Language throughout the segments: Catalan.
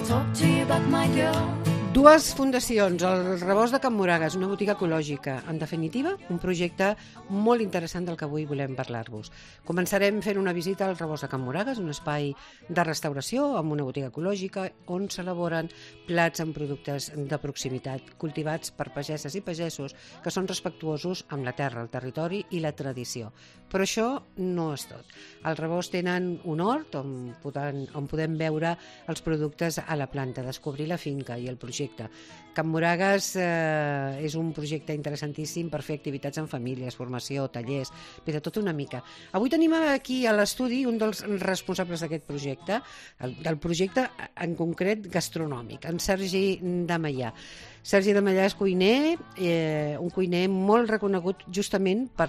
talk to you about my girl. Dues fundacions, el Rebost de Can Moragues, una botiga ecològica. En definitiva, un projecte molt interessant del que avui volem parlar-vos. Començarem fent una visita al Rebost de Can Moragues, un espai de restauració amb una botiga ecològica on s'elaboren plats amb productes de proximitat cultivats per pageses i pagesos que són respectuosos amb la terra, el territori i la tradició. Però això no és tot. Al Rebost tenen un hort on podem veure els productes a la planta, descobrir la finca i el projecte. Can Moragues és un projecte interessantíssim per fer activitats en famílies, formació, tallers, bé, de tot una mica. Avui tenim aquí a l'estudi un dels responsables d'aquest projecte, del projecte en concret gastronòmic, en Sergi Damallà. Sergi Damallà és cuiner, un cuiner molt reconegut justament per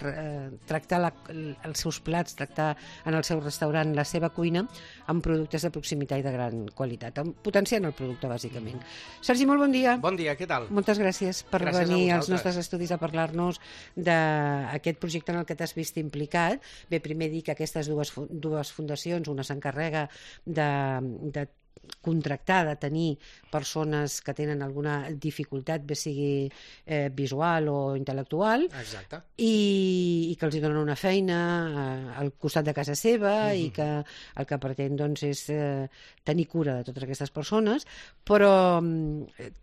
tractar els seus plats, tractar en el seu restaurant la seva cuina amb productes de proximitat i de gran qualitat, potenciant el producte, bàsicament. Sergi, molt bon dia. Bon dia, què tal? Moltes gràcies per Gràcies venir als nostres estudis a parlar-nos d'aquest projecte en el que t'has vist implicat. Bé, primer dir que aquestes dues fundacions, una s'encarrega de contractar, de tenir persones que tenen alguna dificultat, bé sigui visual o intel·lectual. Exacte. I que els hi donen una feina al costat de casa seva i que el que pretén doncs, és tenir cura de totes aquestes persones, però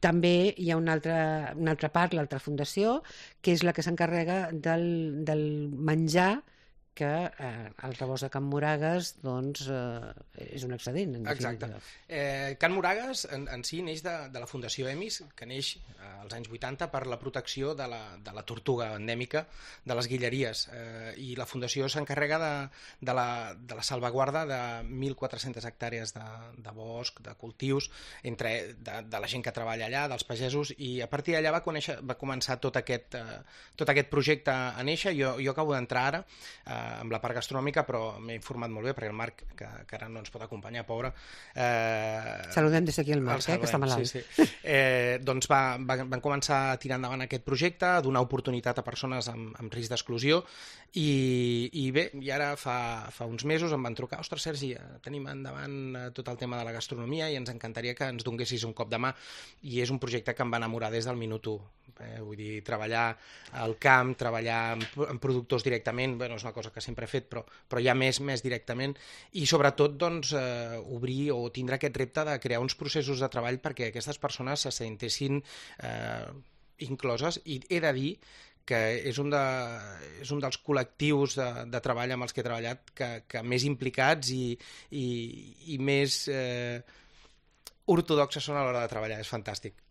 també hi ha una altra part, l'altra fundació, que és la que s'encarrega del menjar que el Rebost de Can Moragues doncs, és un excedent. Exacte. Can Moragues en si neix de la Fundació EMIS, que neix als anys 80 per la protecció de la tortuga endèmica de les Guilleries. I la Fundació s'encarrega de la salvaguarda de 1.400 hectàrees de bosc, de cultius, de la gent que treballa allà, dels pagesos, i a partir d'allà va començar tot aquest projecte a néixer. Jo acabo d'entrar ara amb la part gastronòmica, però m'he informat molt bé perquè el Marc, que ara no ens pot acompanyar, pobre... Saludem des d'aquí el Marc, que està malalt. Sí. Doncs van començar a tirar endavant aquest projecte, a donar oportunitat a persones amb risc d'exclusió, i bé, i ara fa uns mesos em van trucar: ostres, Sergi, tenim endavant tot el tema de la gastronomia i ens encantaria que ens donessis un cop de mà. I és un projecte que em va enamorar des del minut 1. Vull dir, treballar al camp, treballar amb productors directament, bueno, és una cosa que sempre he fet, però ja més directament, i sobretot doncs, obrir o tindre aquest repte de crear uns processos de treball perquè aquestes persones se sentessin incloses, i he de dir que és un dels col·lectius de treball amb els que he treballat que més implicats i més ortodoxes són a l'hora de treballar. És fantàstic.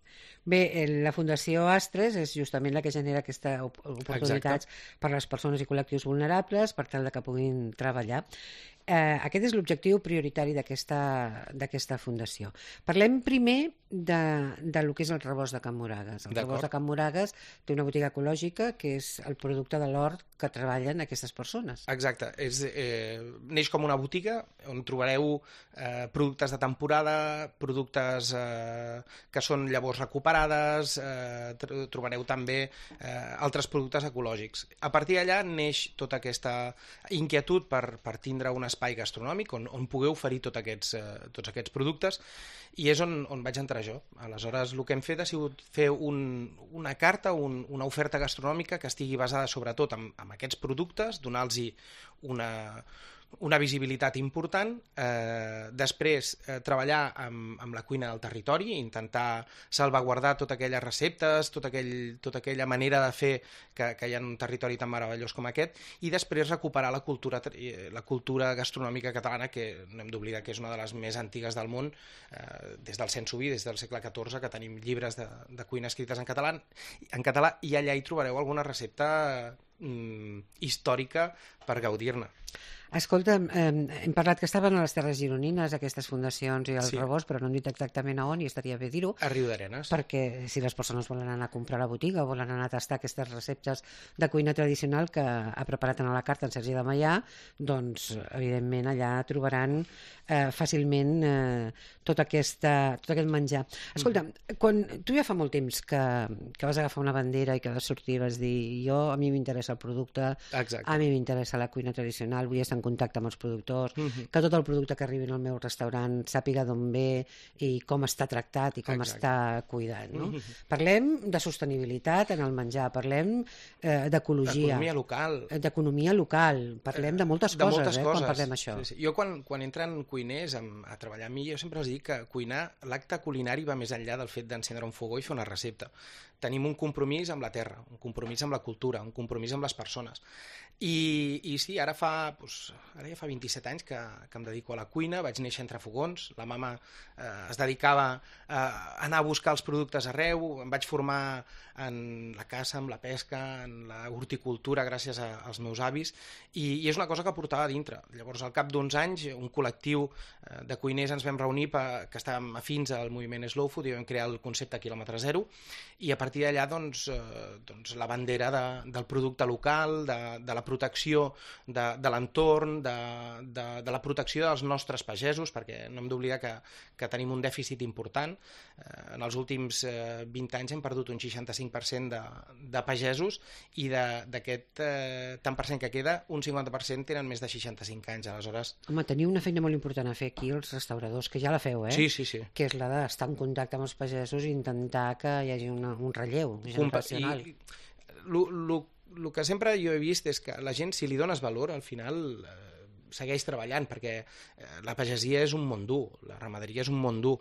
Bé, la Fundació Astres és justament la que genera aquestes oportunitats per a les persones i col·lectius vulnerables per tal que puguin treballar. Aquest és l'objectiu prioritari d'aquesta fundació. Parlem primer del que és el Rebost de Can Moragues. El Rebost de Can Moragues té una botiga ecològica que és el producte de l'hort que treballen aquestes persones. Exacte. Neix com una botiga on trobareu productes de temporada, productes que són llavors recuperades, trobareu també altres productes ecològics. A partir d'allà neix tota aquesta inquietud per tindre un espai gastronòmic on pugueu oferir tots aquests productes, i és on vaig entrar jo. Aleshores, el que hem fet ha sigut fer una carta, una oferta gastronòmica que estigui basada sobretot en aquests productes, donar-los una visibilitat important, després treballar amb la cuina del territori, intentar salvaguardar totes aquelles receptes, tota aquella manera de fer que hi ha en un territori tan meravellós com aquest, i després recuperar la cultura gastronòmica catalana, que no hem d'oblidar que és una de les més antigues del món, des del Cent Suví, des del segle XIV, que tenim llibres de cuina escrites en català, i allà hi trobareu alguna recepta històrica per gaudir-ne. Escolta, hem parlat que estaven a les Terres Gironines, aquestes fundacions i el Rebost, però no hem dit exactament a on, i estaria bé dir-ho. A Riudarenes. Perquè si les persones volen anar a comprar a la botiga o volen anar a tastar aquestes receptes de cuina tradicional que ha preparat en la carta en Sergi Damallà, doncs, evidentment, allà trobaran fàcilment tot aquest menjar. Escolta, quan tu ja fa molt temps que vas agafar una bandera i que vas sortir i vas dir: a mi m'interessa el producte, a mi m'interessa la cuina tradicional, vull estar estar en contacte amb els productors, que tot el producte que arribi al meu restaurant sàpiga d'on ve i com està tractat i com està cuidat. No? Parlem de sostenibilitat en el menjar, parlem d'ecologia. D'economia local. Parlem de moltes coses, quan parlem això. Sí. Jo quan entren cuiners a treballar amb mi, jo sempre els dic que cuinar, l'acte culinari va més enllà del fet d'encendre un fogó i fer una recepta. Tenim un compromís amb la terra, un compromís amb la cultura, un compromís amb les persones. I sí, ara ja fa 27 anys que em dedico a la cuina, vaig néixer entre fogons, la mama es dedicava a anar a buscar els productes arreu, em vaig formar en la caça, en la pesca, en la horticultura gràcies als meus avis, i és una cosa que portava a dintre. Llavors, al cap d'uns anys, un col·lectiu de cuiners ens vam reunir que estàvem afins al moviment Slow Food i vam crear el concepte quilòmetre zero, i a partir d'allà doncs, la bandera del producte local, de la protecció de l'entorn, de la protecció dels nostres pagesos, perquè no hem d'oblidar que tenim un dèficit important. En els últims 20 anys hem perdut un 65% de pagesos i d'aquest tant per cent que queda, un 50% tenen més de 65 anys. Aleshores... Home, teniu una feina molt important a fer aquí, els restauradors, que ja la feu, Sí. Que és la d'estar en contacte amb els pagesos i intentar que hi hagi un relleu generacional. El que sempre jo he vist és que la gent, si li dones valor, al final segueix treballant, perquè la pagesia és un món dur, la ramaderia és un món dur,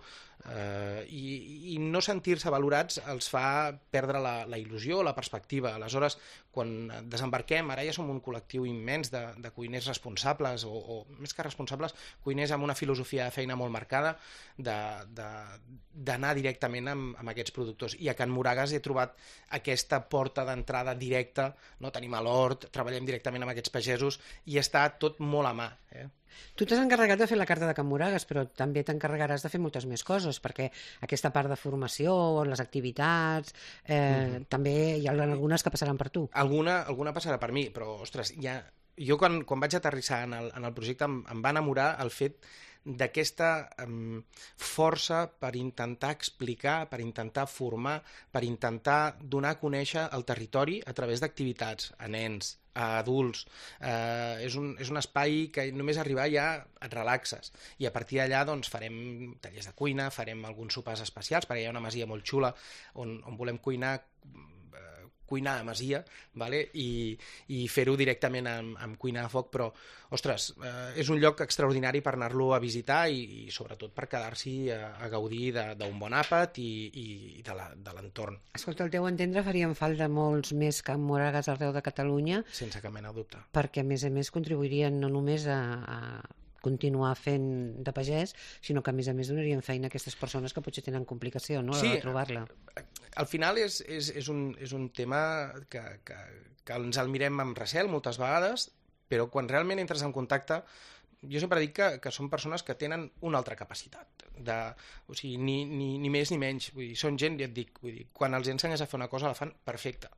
i no sentir-se valorats els fa perdre la il·lusió, la perspectiva. Aleshores, quan desembarquem, ara ja som un col·lectiu immens de cuiners responsables, o més que responsables, cuiners amb una filosofia de feina molt marcada, d'anar directament amb aquests productors. I a Can Moragas he trobat aquesta porta d'entrada directa, no? Tenim a l'hort, treballem directament amb aquests pagesos, i està tot molt a mà. Tu t'has encarregat de fer la carta de Can Moragas, però també t'encarregaràs de fer moltes més coses, perquè aquesta part de formació, les activitats, també hi ha algunes que passaran per tu. Alguna passarà per mi, però, ostres, jo quan vaig aterrissar en el projecte em va enamorar el fet d'aquesta força per intentar explicar, per intentar formar, per intentar donar a conèixer el territori a través d'activitats, a nens, a adults. És un espai que només arribar ja et relaxes, i a partir d'allà doncs, farem tallers de cuina, farem alguns sopars especials, perquè hi ha una masia molt xula on volem cuinar a masia, vale? I fer-ho directament amb cuina a foc, però, ostres, és un lloc extraordinari per anar-lo a visitar i sobretot per quedar-s'hi a gaudir d'un bon àpat i de l'entorn. Escolta, al teu entendre farien falta molts més Can Moragas arreu de Catalunya. Sense cap mena de dubte. Perquè, a més, contribuirien no només a continuar fent de pagès, sinó que a més donarien feina a aquestes persones que potser tenen complicació, no?, a l'hora de trobar-la. Al final és un tema que ens el mirem amb recel moltes vegades, però quan realment entres en contacte, jo sempre dic que són persones que tenen una altra capacitat, o sigui, ni més ni menys, vull dir, són gent, ja et dic, quan els ensenyes a fer una cosa la fan perfecta.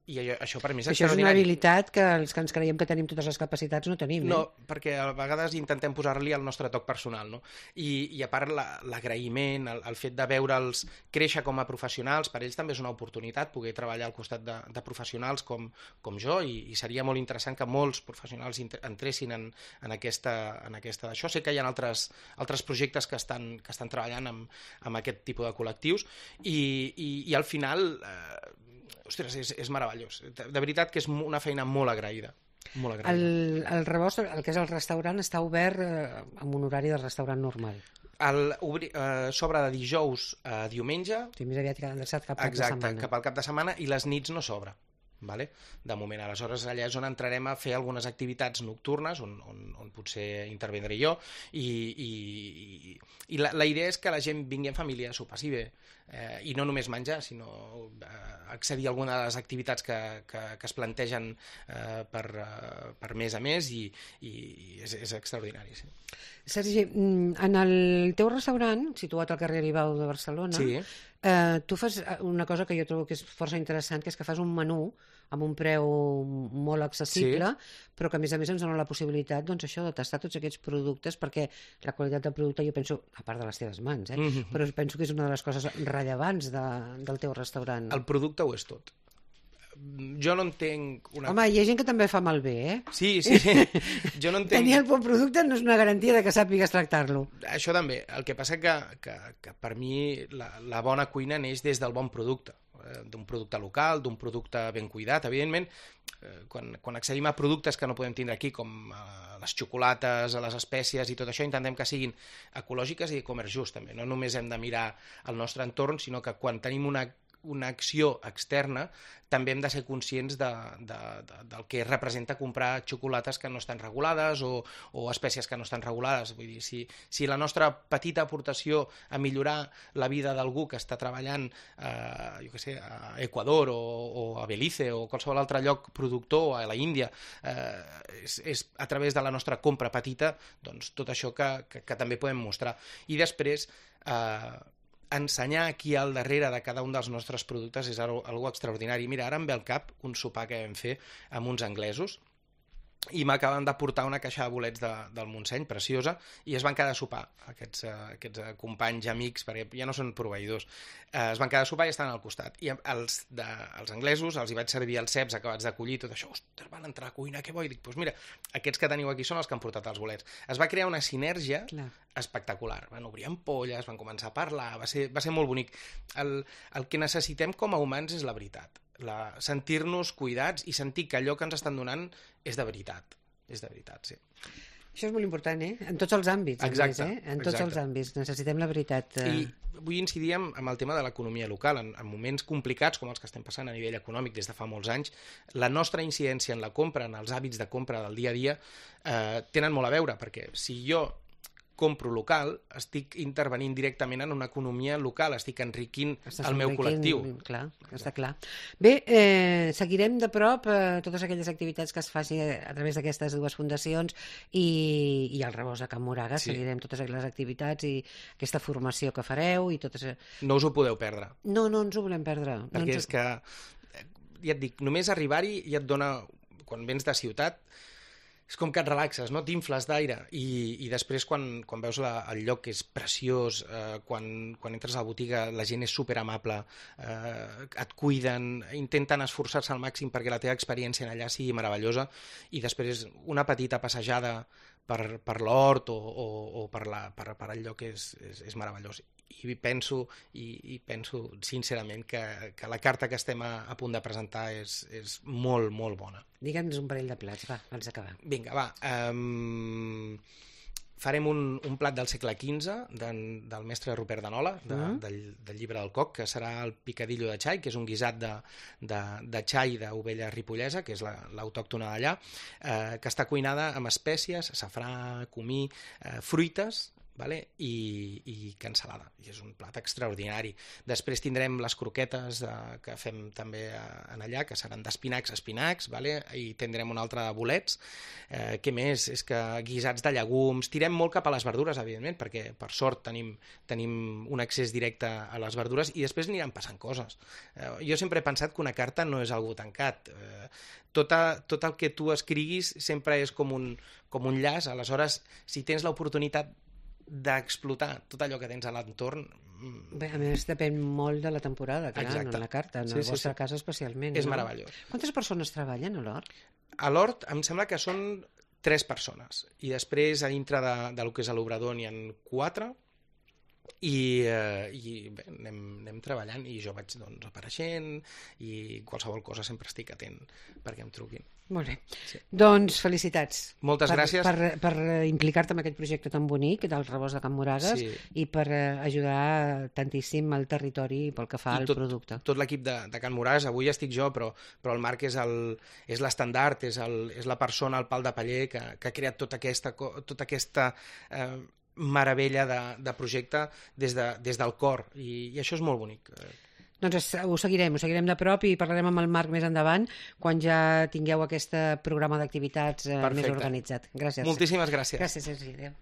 I això per mi és extraordinari. Això és una habilitat que els que ens creiem que tenim totes les capacitats no tenim. No, perquè a vegades intentem posar-li el nostre toc personal, no? I a part l'agraïment, el fet de veure'ls créixer com a professionals, per ells també és una oportunitat poder treballar al costat de professionals com jo, i seria molt interessant que molts professionals entressin en aquesta d'això. Sé que hi ha altres projectes que estan treballant amb aquest tipus de col·lectius, i al final... Ostres, és meravellós. De veritat que és una feina molt agraïda. Molt agraïda. El rebost, el que és el restaurant, està obert amb un horari de restaurant normal. S'obre de dijous a diumenge. Sí, més aviat adreçat cap al cap de setmana. Exacte, cap al cap de setmana, i les nits no s'obre. Vale? De moment, aleshores allà és on entrarem a fer algunes activitats nocturnes on potser intervindré jo, i la idea és que la gent vingui en família, s'ho passi bé, i no només menjar, sinó accedir a alguna de les activitats que es plantegen per mes a mes, i és extraordinari. Sí. Sergi, en el teu restaurant, situat al carrer Aribau de Barcelona, sí, tu fas una cosa que jo trobo que és força interessant, que és que fas un menú amb un preu molt accessible, sí, però que a més ens dona la possibilitat, doncs això, de tastar tots aquests productes, perquè la qualitat del producte, jo penso, a part de les teves mans, però penso que és una de les coses rellevants del teu restaurant. El producte ho és tot. jo no entenc... Home, hi ha gent que també fa malbé, eh? Sí. Jo no entenc... Tenir el bon producte no és una garantia de que sàpigues tractar-lo. Això també. El que passa que per mi la bona cuina neix des del bon producte, d'un producte local, d'un producte ben cuidat. Evidentment, quan accedim a productes que no podem tindre aquí, com les xocolates, les espècies i tot això, intentem que siguin ecològiques i de comerç just, també. No només hem de mirar el nostre entorn, sinó que quan tenim una acció externa també hem de ser conscients del que representa comprar xocolates que no estan regulades o espècies que no estan regulades. Vull dir, si la nostra petita aportació a millorar la vida d'algú que està treballant jo què sé, a Equador o a Belize o qualsevol altre lloc productor, o a la Índia, és a través de la nostra compra petita, doncs tot això que també podem mostrar. I després ensenyar aquí al darrere de cada un dels nostres productes és algo extraordinari. Mira, ara em ve al cap un sopar que vam fer amb uns anglesos i m'acaben de portar una caixa de bolets del Montseny, preciosa, i es van quedar a sopar, aquests companys i amics, perquè ja no són proveïdors, es van quedar a sopar i estan al costat. I els anglesos els hi vaig servir els ceps acabats de collir, tot això, ostres, van entrar a cuinar, què bo? I dic, doncs mira, aquests que teniu aquí són els que han portat els bolets. Es va crear una sinergia espectacular. Van obrir ampolles, van començar a parlar, va ser molt bonic. El que necessitem com a humans és la veritat. Sentir-nos cuidats i sentir que allò que ens estan donant és de veritat. És de veritat, sí. Això és molt important, eh? En tots els àmbits. Exacte. En tots els àmbits. Necessitem la veritat. I vull incidir en el tema de l'economia local. En moments complicats com els que estem passant a nivell econòmic des de fa molts anys, la nostra incidència en la compra, en els hàbits de compra del dia a dia, tenen molt a veure, perquè si jo compro local, estic intervenint directament en una economia local, estic enriquint el meu col·lectiu. Clar, està clar. Bé, seguirem de prop totes aquelles activitats que es faci a través d'aquestes dues fundacions i el Rebost de Can Moragas, seguirem totes aquelles activitats i aquesta formació que fareu i totes... No us ho podeu perdre. No ens ho volem perdre. Perquè és que, ja et dic, només arribar-hi ja et dona, quan vens de ciutat, és com que et relaxes, no? T'infles d'aire i després quan veus el lloc que és preciós, quan entres a la botiga la gent és superamable, et cuiden, intenten esforçar-se al màxim perquè la teva experiència allà sigui meravellosa, i després una petita passejada per l'hort o per el lloc és meravellós. I penso sincerament que la carta que estem a punt de presentar és molt, molt bona. Digue'ns un parell de plats, va, abans d'acabar. Vinga, va. Farem un plat del segle XV del mestre Rupert de Nola, del llibre del Coc, que serà el picadillo de xai, que és un guisat de xai d'ovella ripollesa, que és l'autòctona d'allà, que està cuinada amb espècies, safrà, comí, fruites, i cansalada, i és un plat extraordinari. Després tindrem les croquetes que fem també en allà, que seran d'espinacs, i tindrem un altre de bolets. Què més? És que guisats de llegums, tirem molt cap a les verdures, evidentment, perquè per sort tenim un accés directe a les verdures, i després aniran passant coses. Jo sempre he pensat que una carta no és algo tancat. Tot el que tu escriguis sempre és com un llaç. Aleshores, si tens l'oportunitat d'explotar tot allò que tens a l'entorn... Bé, a més, depèn molt de la temporada, clar, exacte. No en la carta, en el vostre cas especialment. És meravellós. Quantes persones treballen a l'hort? A l'hort em sembla que són 3 persones, i després a dintre del que és l'obrador n'hi ha 4, i bé, anem treballant, i jo vaig apareixent, i qualsevol cosa sempre estic atent perquè em truquin. Molt bé. Sí. Doncs felicitats. Moltes gràcies. Per implicar-te en aquest projecte tan bonic del Rebost de Can Moragas, i per ajudar tantíssim al territori pel que fa al producte. Tot l'equip de Can Moragas, avui estic jo, però el Marc és l'estandard, és la persona al pal de paller que ha creat tota aquesta meravella de projecte des del cor, i això és molt bonic. Doncs ho seguirem de prop i parlarem amb el Marc més endavant quan ja tingueu aquest programa d'activitats més organitzat. Gràcies. Moltíssimes gràcies. Gràcies, Sergi. Adéu.